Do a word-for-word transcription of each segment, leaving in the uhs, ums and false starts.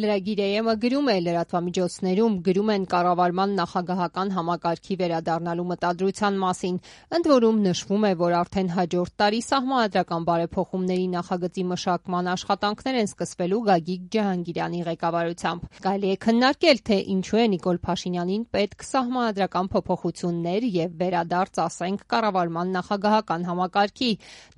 Լրագիր գրում է լրատվամիջոցներում գրում են կառավարման նախագահական համակարգի վերադառնալու մտադրության մասին, ընդ որում նշվում է, որ արդեն հաջորդ տարի սահմանադրական բարեփոխումների նախագծի մշակման աշխատանքներ են սկսվելու Գագիկ Ջհանգիրյանի ղեկավարությամբ։ Կարելի է քննարկել, թե ինչու է Նիկոլ Փաշինյանին պետք սահմանադրական փոփոխություններ եւ վերադարձ, ասենք, կառավարման նախագահական համակարգի։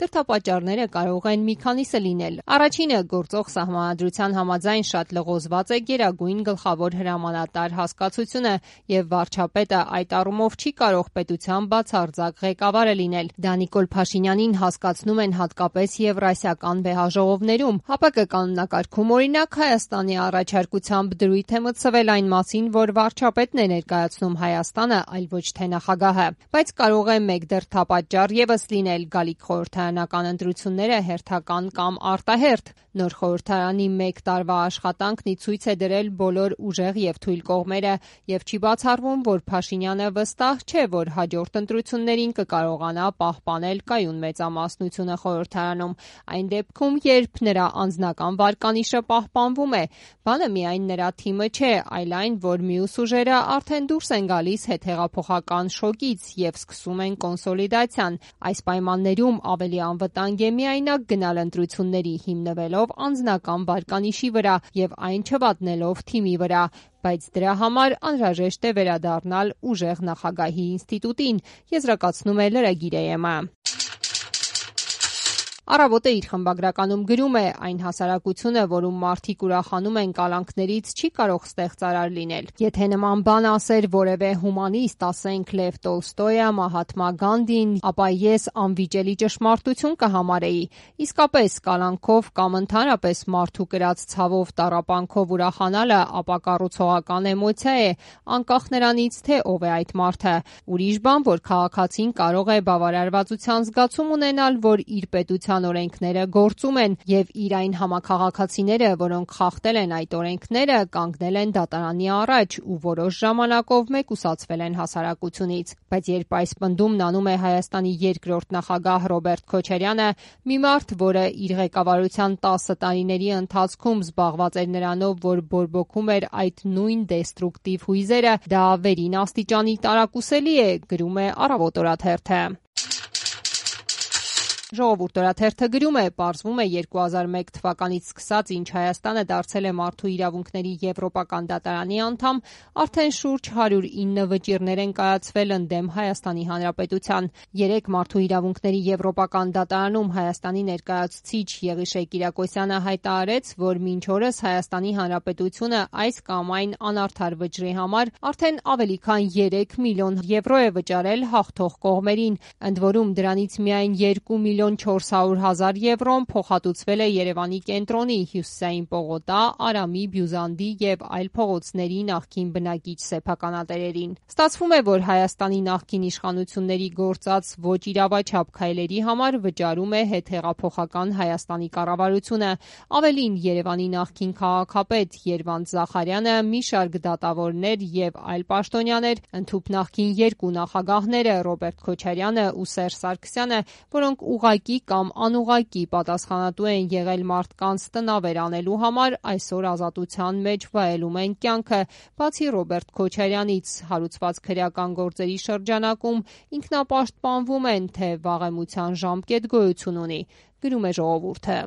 Դրդապատճառները կարող են մի քանիսը լինել։ Առաջինը գործող սահմանադրության համաձայն շատ լղոզված է Գերագույն գլխավոր հրամանատար հասկացությունը եւ վարչապետը այդ առումով չի կարող պետության բացարձակ ղեկավարը լինել։ Դա Նիկոլ Փաշինյանին հասկացնում են հատկապես եվրասիական վեհաժողովներում։ ՀԱՊԿ կանոնակարգում օրինակ Հայաստանի առաջարկությամբ դրույթ է մտցվել այն մասին, որ վարչապետն է ներկայացնում Հայաստանը, այլ ոչ թե նախագահը։ Բայց կարող է մեկ դրդապատճառ եւս լինել՝ գալիք խորհրդարանական ընտրությունները հերթական կամ արտահերթ։ Նոր խորհրդարանի մեկ տարվա աշխատանքն ի ցույց է դրել բոլոր ուժեղ եւ թույլ կողմերը եւ չի բացառվում, որ Փաշինյանը վստահ չէ, որ հաջորդ ընտրություններին կկարողանա պահպանել կայուն մեծամասնությունը խորհրդարանում։ Այն դեպքում, երբ նրա անձնական վարկանիշը պահպանվում է, բանը միայն նրա թիմը չէ, այլ այն, որ մյուս ուժերը արդեն դուրս են գալիս հետհեղափոխական շոկից եւ սկսում են կոնսոլիդացիան։ Այս պայմաններում ավելի անվտանգ է միայնակ գնալ ընտրությունների հիմնվելով անձնական վարկանիշի վրա եւ այն չվատնելով թիմի վրա, բայց դրա համար անհրաժեշտ է վերադառնալ ուժեղ նախագահի ինստիտուտին, եզրակացնում է լրագիր-ը։ Առավոտը իր խմբագրականում գրում է. այն հասարակությունը, որում մարդիկ ուրախանում են կալանքներից, չի կարող ստեղծարար լինել։ Եթե նման բան ասեր որևէ հումանիստ, ասենք Լև Տոլստոյը, Մահատմա Գանդին, ապա ես անվիճելի ճշմարտություն կհամարեի։ Իսկապես, կալանքով կամ ընդհանրապես մարդու կրած ցավով, տառապանքով ուրախանալը ապակառուցողական էմոցիա է, անկախ նրանից, թե ով է այդ մարդը։ Ուրիշ բան, որ քաղաքացին կարող է բավարարվածության զգացում ունենալ, որ իր պետության օրենքները գործում են եւ իր այն համաքաղաքացիները, որոնք խախտել են այդ օրենքները, կանգնել են դատարանի առաջ ու որոշ ժամանակով մեկուսացվել են հասարակությունից։ Բայց երբ այս պնդումն անում է Հայաստանի երկրորդ նախագահ Ռոբերտ Քոչարյանը, մի մարդ, որը իր ղեկավարության տասը տարիների ընթացքում զբաղված էր նրանով, որ բորբոքում էր այդ նույն դեստրուկտիվ հույզերը, դա վերին աստիճանի տարակուսելի է, գրում է Առավոտ օրաթերթը։ Ժողովուրդ օրաթերթը գրում է. պարզվում է երկու հազար մեկ թվականից սկսած, ինչ Հայաստանը դարձել է մարդու իրավունքների եվրոպական դատարանի անդամ, արդեն շուրջ հարյուր ինը վճիռներ են կայացվել ընդդեմ Հայաստանի Հանրապետության։ Երեկ մարդու իրավունքների եվրոպական դատարանում Հայաստանի ներկայացուցիչ Եղիշե Կիրակոսյանը հայտարարեց, որ մինչ օրս Հայաստանի Հանրապետությունը այս կամ այն անարդար վճռի համար արդեն ավելի քան երեք միլիոն եվրո է վճարել հաղթող կողմերին, ընդ որում դրանից միայն երկու միլիոն չորս հարյուր հազար եվրոն փոխհատուցվել է Երևանի կենտրոնի, Հյուսիսային պողոտա, Արամի, Բյուզանդի եւ այլ փողոցների նախկին բնակիչ սեփականատերերին։ Ստացվում է, որ Հայաստանի նախկին իշխանությունների գործած ոչ իրավաչափ քայլերի համար վճարում է հետհեղափոխական Հայաստանի կառավարությունը։ Ավելին, Երևանի նախկին քաղաքապետ Երվանդ Զախարյանը, մի շարք դատավորներ եւ այլ պաշտոնյաներ, ընդհուպ նախկին երկու նախագահները Ռոբերտ Քոչարյանը ու Սերժ Սարգսյանը, որոնք ուղղակի կամ անուղղակի պատասխանատու են եղել մարդկանց տնավեր անելու համար, այսօր ազատության մեջ վայելում են կյանքը։ Բացի Ռոբերտ Քոչարյանից, հարուցված քրեական գործերի շրջանակում ինքնապաշտպանվում են, թե վաղեմության ժամկետ գոյություն ունի, գրում է Ժողովուրդը։